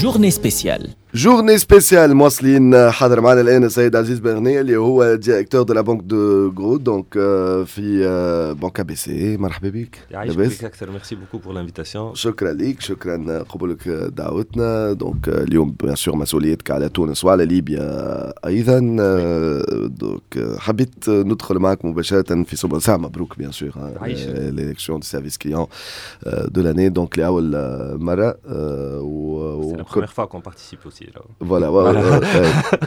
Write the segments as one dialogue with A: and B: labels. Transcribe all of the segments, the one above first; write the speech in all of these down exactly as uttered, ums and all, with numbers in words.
A: Journée spéciale.
B: Journée spéciale مواصلين. حاضر معنا الان السيد عزيز بن اللي هو directeur de la banque de gros, donc في Banque A B C. مرحبا بك.
C: يعيشك بك اكثر, merci beaucoup pour l'invitation.
B: شكرا لك, شكرا قبولك دعوتنا. Donc اليوم bien sûr مسؤوليتك على تونس وعلى ليبيا ايضا, donc حبيت ندخل معك مباشره في صلب ساعه. مبروك bien sûr l'élection du service client de l'année, donc لاول مره.
C: و C'est la première fois qu'on participe aussi.
B: Voilà,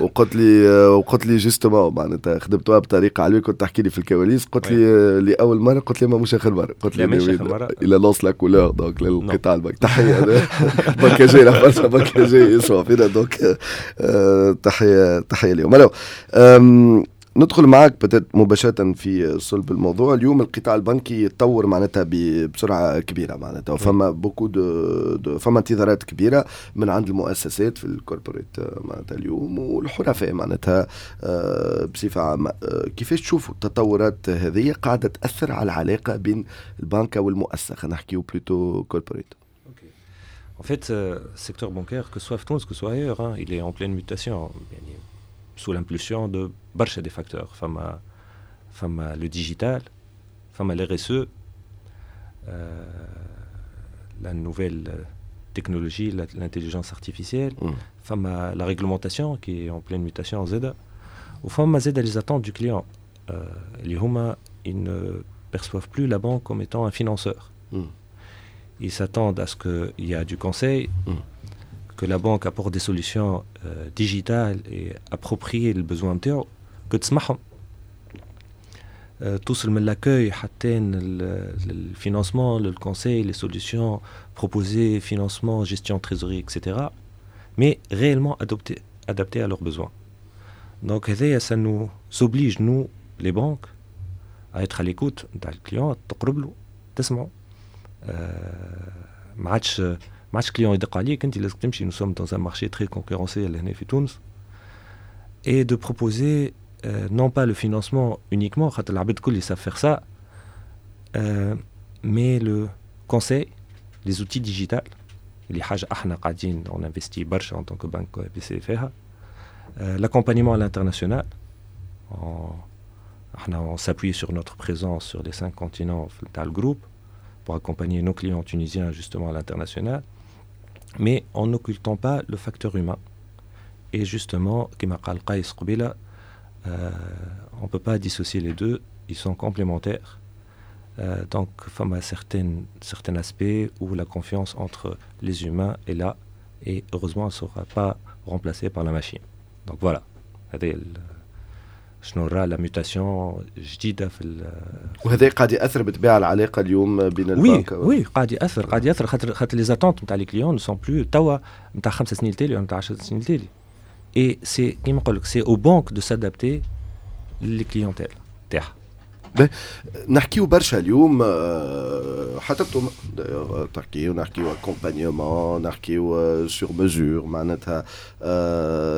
B: وقلت لي وقلت لي justement معناتها خدمتوها بطريقه علويه, كنت تحكي لي في الكواليس, قلت لي لاول مره, قلت لي ما مش اخر مره, قلت لي
C: مش اخر مره.
B: Il annonce la couleur, donc للقطاع البنك تحيه, بنكاجي برشا بنكاجي يسمع فينا, donc تحيه تحيه اليوم. Alors ندخل معك peut-être مباشرة في صلب الموضوع. اليوم القطاع البنكي يتطور معناتها بسرعة كبيرة معناتها, وفما beaucoup de, de فما انتظارات كبيرة من عند المؤسسات في ال corporate معناتها اليوم والحرفاء معناتها آه، بصفة عامة. آه، كيفاش تشوفوا التطورات هذه قاعدة تأثر على العلاقة بين البنكة والمؤسسة, خلينا نحكيو plutôt corporate?
C: En fait, euh, secteur bancaire, que ce soit في تونس, que ce soit ailleurs, hein, il est en pleine mutation. يعني sous l'impulsion de برشا des facteurs. فما فما le digital, فما l'R S E, euh, la nouvelle technologie, l'intelligence artificielle, mm. فما la réglementation qui est en pleine mutation زادة, وفما زادة les attentes du client. Euh, اللي هما ils ne perçoivent plus la banque comme étant un financeur. Mm. Ils s'attendent à ce qu'il y a du conseil, mm. que la banque apporte des solutions euh, digitales et appropriées لل besoin نتاعو, que تسمعهم توصل من l'accueil حتى ال financement, le conseil, les solutions proposées, financement, gestion, trésorerie, et cetera, mais réellement adopté, adapté à leurs besoins. Donc هذايا ça nous oblige, nous les banques, à être à l'écoute نتاع ال client, تقرب له, تسمعه. ما عادش ما عادش client يدق عليك, انت لازم تمشي. Nous sommes dans un marché très concurrentiel هنا في تونس, et de proposer euh, non pas le financement uniquement, خاطر العباد الكل savent faire ça, euh, mais le conseil, les outils digitales اللي حاجه احنا قاعدين on investit برشا en tant que banque A B C فيها, euh, l'accompagnement à l'international. احنا on s'appuie sur notre présence sur les cinq continents dans le groupe pour accompagner nos clients tunisiens justement à l'international, mais en n'occultant pas le facteur humain. Et justement, كما قال قيس قبيله, euh, on ne peut pas dissocier les deux, ils sont complémentaires. Euh, donc, فما certains, certains aspects où la confiance entre les humains est là et heureusement, elle ne sera pas remplacée par la machine. Donc voilà, شنو راه la mutation جديده في
B: وهذا قاعد ياثر بالطبيعه العلاقه اليوم بين
C: البنك. Oui oui, قاعد ياثر, قاعد ياثر, خاطر خاطر les attentes نتاع les clients ne sont plus توا نتاع خمس سنين التالي ولا نتاع عشر سنين التالي, et c'est كيما نقول لك, c'est aux banques de s'adapter les clientèles تاعها.
B: نحكيو برشا اليوم, حتى انتم تحكيو, نحكيو accompagnement, نحكيو sur mesure معناتها,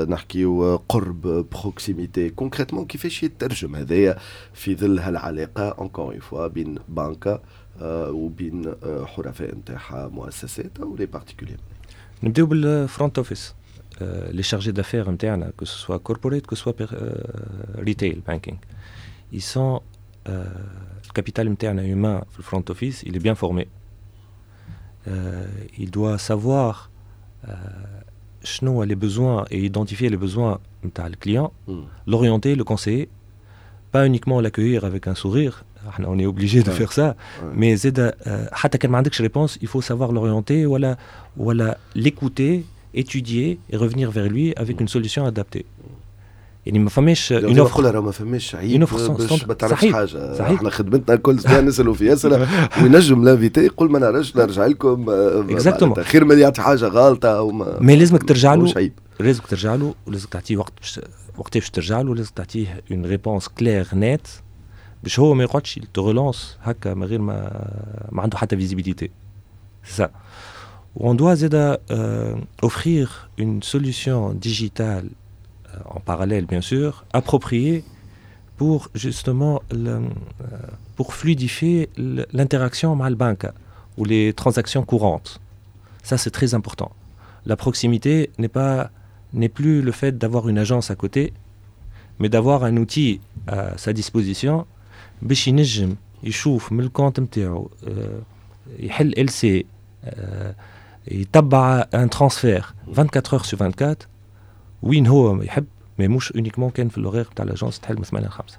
B: نحكيو قرب, proximité. Concrètement كيفاش يترجم هذايا في ظل هالعلاقه encore une fois بين بنكه وبين حرفاء نتاعها, مؤسسات او les particuliers?
C: نبداو بال front office, les chargés d'affaires نتاعنا, que ce soit corporate, que ce soit retail banking, ils sont euh, le capital interne humain, le front office, il est bien formé. Euh, il doit savoir euh, les besoins et identifier les besoins نتاع le client, mm. l'orienter, le conseiller, pas uniquement l'accueillir avec un sourire. احنا on est obligé de faire ça, mais زادة حتى كان ما عندكش réponse, il faut savoir l'orienter ولا ولا l'écouter, étudier et revenir vers lui avec une solution adaptée. يعني ما فماش
B: une offre راه ما فماش عيب باش ما تعرفش حاجه. صحيح. احنا خدمتنا الكل صباح نسالوا في اسئله, وينجم l'invité يقول ما نعرفش, نرجع لكم.
C: Exactement.
B: خير من يعطي حاجه غلطه او ما
C: Mais لازمك ترجع له, لازمك ترجع له, ولازمك تعطيه وقت باش وقت باش ترجع له, لازم تعطيه une réponse claire, nette, باش هو ما يقعدش te relance هكا من غير ما ما عنده حتى visibilité. C'est ça. On doit زادة euh, offrir une solution digitale en parallèle bien sûr, appropriée pour justement le, pour fluidifier l'interaction مع البنك ou les transactions courantes. Ça, c'est très important. La proximité n'est pas n'est plus le fait d'avoir une agence à côté, mais d'avoir un outil à sa disposition باش ينجم يشوف من ال compte نتاعو, يحل L C, يتبع un transfert vingt-quatre heures sur vingt-quatre وين هو يحب, mais مش uniquement كان في l'horaire تاع l'agence تحل من ثمانية ل خمسة.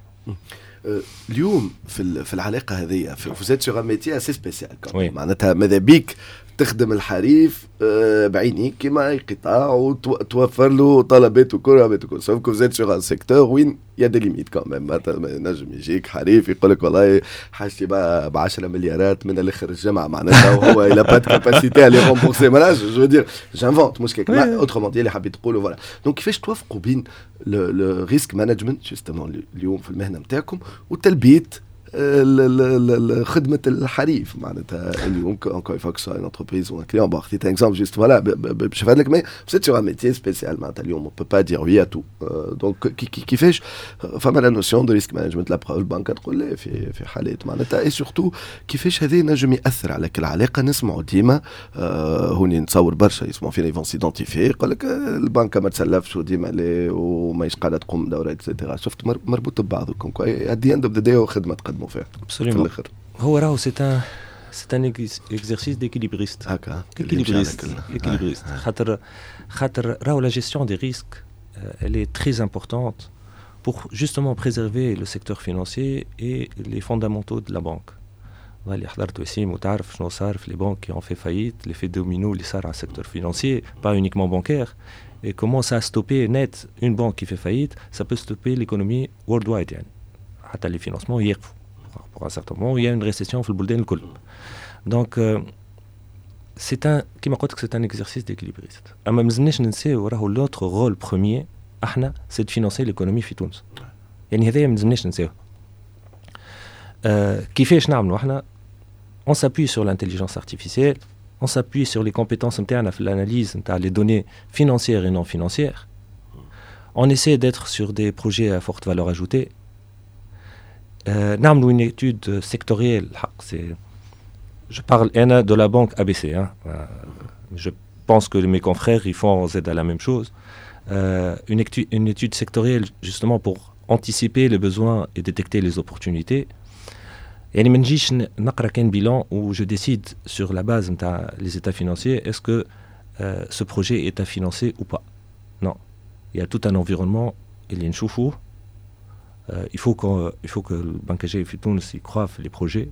B: اليوم في في العلاقه هذه, vous êtes sur un métier assez spécial, معناتها ماذا بيك تخدم الحريف آه، بعينيك كيما اي قطاع وتوفر له طلبات وكل وكل, sauf que vous êtes sur un secteur وين y a des limites quand même. مثلا نجم يجيك حريف يقول لك والله حاجتي ب عشرة مليارات من الاخر الجمعه, معناتها وهو il a pas de capacité à les rembourser. معناها je veux dire, j'invente, مش كيك, autrement dit اللي حبيت تقولوا, voilà. donc كيفاش توافقوا بين le risk management justement اليوم في المهنه نتاعكم وتلبيه خدمه الحريف؟ معناتها اليوم encore une fois, que ce soit une entreprise ou un client, bon, خديت un exemple juste, voilà, باش نفهم لك, mais c'est sur un métier spécial. معناتها اليوم on peut pas dire oui à tout. donc كيفاش فما la notion de risk management, la preuve البنك تقول لا في في حالات معناتها, et surtout كيفاش هذا نجم ياثر على كل علاقه؟ نسمعوا ديما هوني, نتصور برشا يسمعوا فينا, ils vont s'identifier, يقول لك البنكه ما تسلفش وديما لا وماهيش قاعده تقوم دوره et cetera. شفت مربوط ببعضكم, at the end of the day خدمه تقدموا فيها.
C: في الاخر هو راهو c'est un c'est un exercice d'équilibriste.
B: هكا.
C: équilibriste, équilibriste, خاطر خاطر راهو la gestion des risques, elle est très importante pour justement préserver le secteur financier et les fondamentaux de la banque. اللي حضرت وسيم وتعرف شنو صار في les banques qui ont fait faillite, l'effet domino اللي صار على ال secteur financier, pas uniquement bancaire, et comment ça a stoppé net une banque qui fait faillite, ça peut stopper l'économie worldwide. يعني حتى les financements يقفوا pour un certain moment, il y a une récession في البلدان الكل. donc c'est un كيما قلت لك, c'est un exercice d'équilibriste. اما مازلناش ننساو راهو notre rôle premier احنا c'est de financer l'économie في تونس. يعني هذايا ما لازمناش ننساوه. آه كيفاش نعملوا احنا؟ on s'appuie sur l'intelligence artificielle, on s'appuie sur les compétences نتاعنا في l'analyse نتاع les données financières et non financières. On essaie d'être sur des projets à forte valeur ajoutée. Euh, نعملوا une étude sectorielle. C'est je parle أنا de la banque A B C, hein. Euh, je pense que mes confrères ils font زادة la même chose. Euh, une, étude, une étude sectorielle justement pour anticiper les besoins et détecter les opportunités. يعني ما نجيش نقرا كان bilan où je décide sur la base نتاع les états financiers est-ce que euh, ce projet est à financer ou pas. Non. Il y a tout un environnement اللي نشوفوه. Euh, il faut que il faut que البنكاجية في تونس y croient في les projets.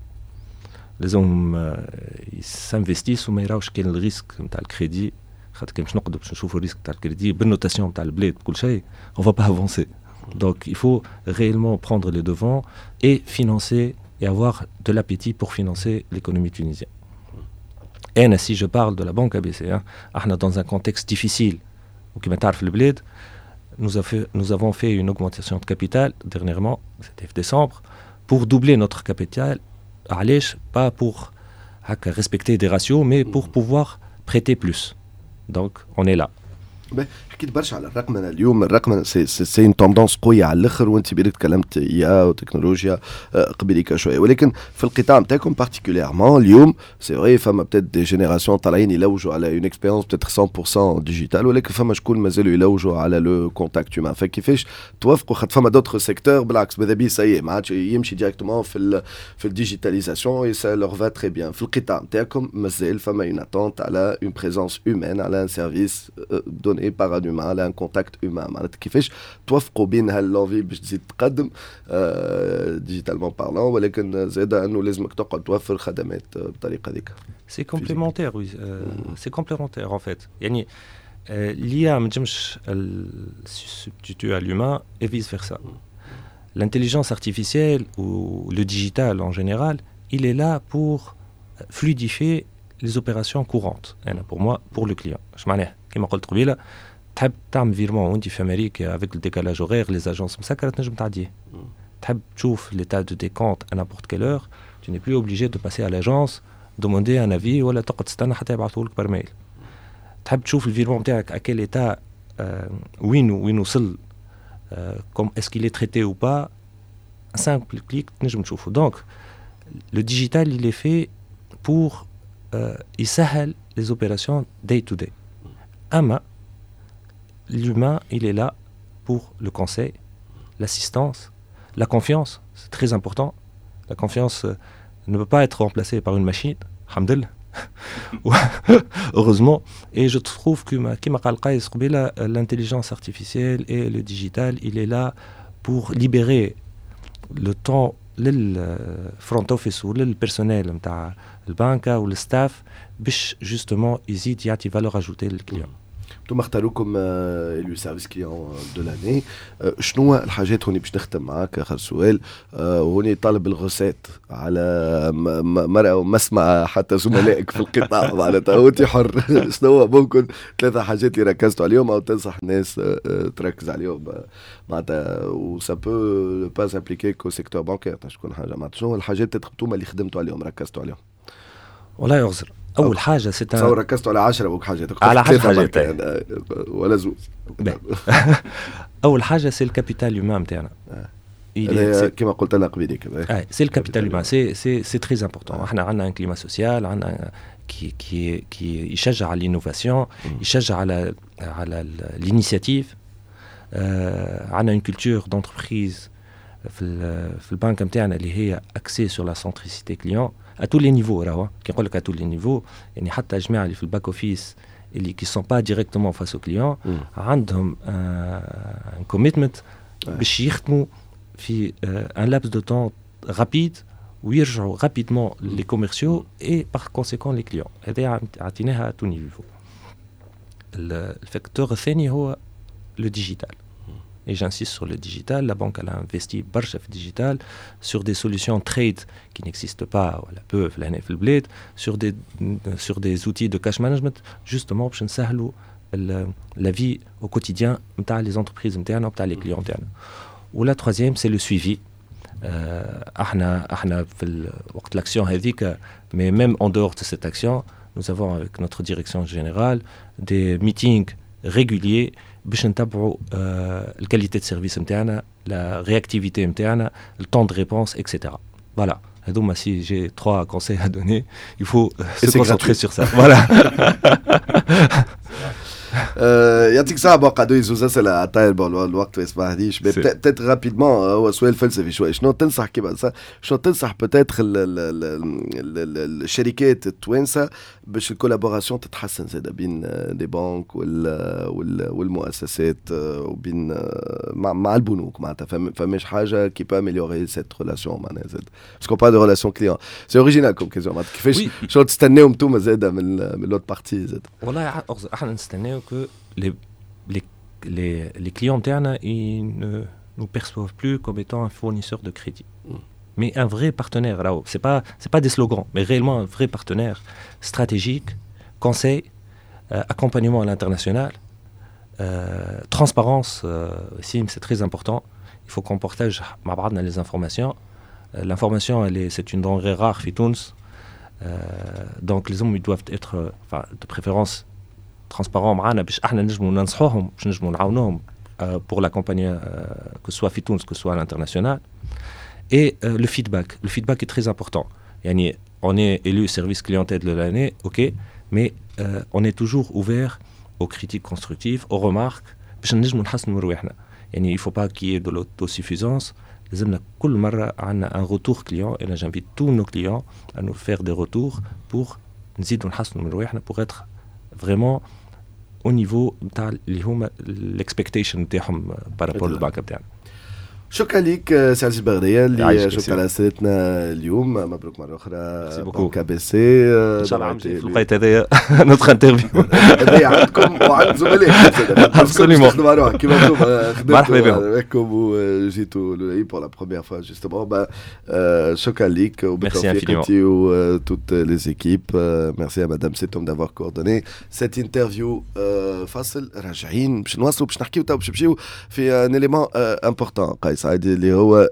C: لازم s'investissent وما يراوش كان ال risque نتاع الكريدي, خاطر كان باش نقعدوا باش نشوفوا ال risque نتاع ال crédit بال notation نتاع البلاد بكل شيء, on va pas avancer. Donc il faut réellement prendre les devants et financer et avoir de l'appétit pour financer l'économie tunisienne. Et si je parle de la banque A B C, hein, احنا dans un contexte difficile وكما تعرف البلاد, nous, a fait, nous avons fait une augmentation de capital dernièrement, c'était décembre, pour doubler notre capital. علاش؟ Pas pour respecter des ratios, mais pour pouvoir prêter plus. Donc, on est là.
B: حكيت برشا على الرقمنه. اليوم الرقمنه c'est c'est une tendance قويه على الاخر, وانت بالك تكلمت I A وتكنولوجيا قبليك شويه, ولكن في القطاع نتاعكم particulièrement اليوم, c'est vrai فما peut-être des générations طالعين يلوجوا على une expérience peut-être cent pour cent digitale, ولكن فما شكون مازالوا يلوجوا على le contact humain. فكيفاش توافقوا؟ خاطر فما d'autres secteurs بالعكس, ماذا بيه ça y est ما عادش يمشي directement في ال في ال digitalisation et ça leur va très bien. في القطاع نتاعكم مازال فما une attente على une présence humaine, على un service donné par un humain, على un contact humain. معناتها كيفاش توافقوا بين هال l'envie باش تزيد تقدم digitalement parlant, ولكن زاد انه لازمك تقعد توفر خدمات بالطريقه هذيك؟
C: c'est complémentaire, oui, c'est complémentaire en fait. يعني l'I A ما تنجمش substituer à l'humain et vice versa. L'intelligence artificielle ou le digital en général, il est là pour fluidifier les opérations courantes. أنا pour moi, pour le client. اش معناها؟ كما قلت قبيله, تحب تعمل virement وانت في امريكا, avec le décalage horaire les agences مسكره, تنجم تعديه. تحب تشوف l'état de tes comptes à n'importe quelle heure, tu n'es plus obligé de passer à l'agence demander un avis ولا تقعد تستنى حتى يبعثوا لك par mail. تحب تشوف ال virement نتاعك à quel état, وين وين وصل, comme est-ce qu'il est traité ou pas, un simple clic تنجم تشوفه. donc le digital il est fait pour euh, يسهل les opérations day to day. اما l'humain, il est là pour le conseil, l'assistance, la confiance, c'est très important. La confiance euh, ne peut pas être remplacée par une machine, الحمد لله. Heureusement. Et je trouve que كما قال قيس قبيلة, l'intelligence artificielle et le digital, il est là pour libérer le temps لل front office ولل personnel نتاع البنكه وال staff باش justement يزيد يعطي valeur ajoutée لل client.
B: انتم اختاروكم élu service client de l'année. شنو الحاجات هوني باش نختم معاك اخر سؤال وهوني طالب ال recette على مرأى ومسمع حتى زملائك في القطاع، معناتها وانت حر، شنو ممكن ثلاثة حاجات اللي ركزتوا عليهم او تنصح الناس تركز عليهم معناتها، و ça peut pas s'appliquer qu'au secteur bancaire، تكون حاجه معناتها شنو الحاجات اللي اللي خدمتوا عليهم، ركزتوا عليهم؟
C: والله يغزر اول حاجه
B: c'est تصور ركزتوا على عشرة بوك حاجات.
C: على عشرة حاجات.
B: ولا زوز.
C: اول حاجه c'est ال capital humain نتاعنا.
B: كما قلت لنا قبيلك.
C: c'est ال capital humain, c'est c'est c'est très important. احنا عندنا un climat social عندنا qui qui qui يشجع على l'innovation، يشجع على على l'initiative. عندنا une culture d'entreprise في في البنك نتاعنا اللي هي axée sur la centricité client à tous les niveaux. راهو كي نقول لك à tous les niveaux، يعني حتى الجماعه اللي في ال back office اللي qui sont pas directement face au client عندهم un commitment باش يخدموا في un laps de temps rapide ويرجعوا rapidement les commerciaux et par conséquent les clients. هذا عطيناها à tous niveaux. ال facteur الثاني هو le digital. Et j'insiste sur le digital. La banque, elle a investi برشا في digital sur des solutions trade qui n'existent pas ولا peu في البلاد، sur des sur des outils de cash management justement باش نسهلوا la vie au quotidien نتاع les entreprises نتاعنا نتاع les clients نتاعنا. و la troisième, c'est le suivi. احنا احنا في وقت l'action هذيك, mais même en dehors de cette action, nous avons avec notre direction générale des meetings réguliers باش نتبعوا ال qualité de service نتاعنا، la réactivité نتاعنا، ال temps de réponse, et cetera. Voilà, هذوما si j'ai trois conseils à donner, il faut se concentrer sur ça, voilà.
B: يعطيك الصحة. bon، قعدوا زوز أسئلة على الطاير، bon الوقت ما يسمحليش، peut-être rapidement، هو سؤال فلسفي شوي، شنو تنصح كيما شنو تنصح peut-être الشركات التوانسة باش ال collaboration تتحسن زاد بين les banques والمؤسسات وبين مع, مع البنوك؟ معناتها فماش حاجة qui peut améliorer cette relation معناها زاد، parce qu'on parle de relation client, c'est original comme question، معناتها كيفاش شنو تستناو انتوما زاد من من l'autre partie زاد؟
C: والله احنا نستناو que les, les, les, les clients internes, ils ne nous perçoivent plus comme étant un fournisseur de crédit, mm. mais un vrai partenaire. Ce n'est pas, c'est pas des slogans, mais réellement un vrai partenaire stratégique, conseil, euh, accompagnement à l'international, euh, transparence, euh, aussi, c'est très important. Il faut qu'on partage les informations. Euh, l'information, elle est, c'est une denrée rare, في تونس. Euh, donc les hommes, ils doivent être, enfin, de préférence, transparents معنا باش احنا نجموا ننصحوهم، باش نجموا نعاونوهم pour l'accompagner, que ce soit في تونس, que ce soit à l'international. Et euh, le feedback, le feedback est très important. يعني on est élu service clientèle de l'année, ok, mais euh, on est toujours ouvert aux critiques constructives, aux remarques باش نجموا نحسنوا من رواحنا. يعني il faut pas qu'il y ait de l'autosuffisance. لازمنا كل مرة عندنا un retour client et là j'invite tous nos clients à nous faire des retours pour نزيدوا نحسنوا من رواحنا، pour être vraiment au niveau نتاع اللي هما l'expectation نتاعهم par rapport للبنك نتاعنا.
B: شكرا لك سي عزيز بغدية اللي جاوبت على اسئلتنا اليوم. مبروك مره اخرى
C: Banque
B: A B C.
C: ان شاء الله عام في الوقت هذايا notre interview.
B: هذايا عندكم وعند زملائكم.
C: Absolument.
B: تخدموا على روحك كيما انتم.
C: مرحبا
B: بكم. بكم وجيتوا pour la première fois justement. شكرا لك وبالتوفيق انت و toutes les équipes. Merci à madame Setom d'avoir coordonné cette interview. فاصل، راجعين باش نواصلوا، باش نحكيو تو باش نمشيو في un élément important قيس سعيد اللي هو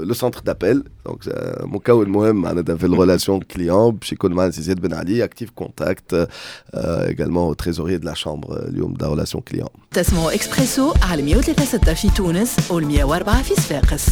B: le centre d'appel, donc مكون مهم معناتها في ال relation client. باش يكون معنا سي زياد بن علي، Active Contact, également trésorier de la chambre اليوم de relation client.
A: تسمعوا اكسبريسو على مية وثلاثة ستة في تونس و مية وأربعة في صفاقس.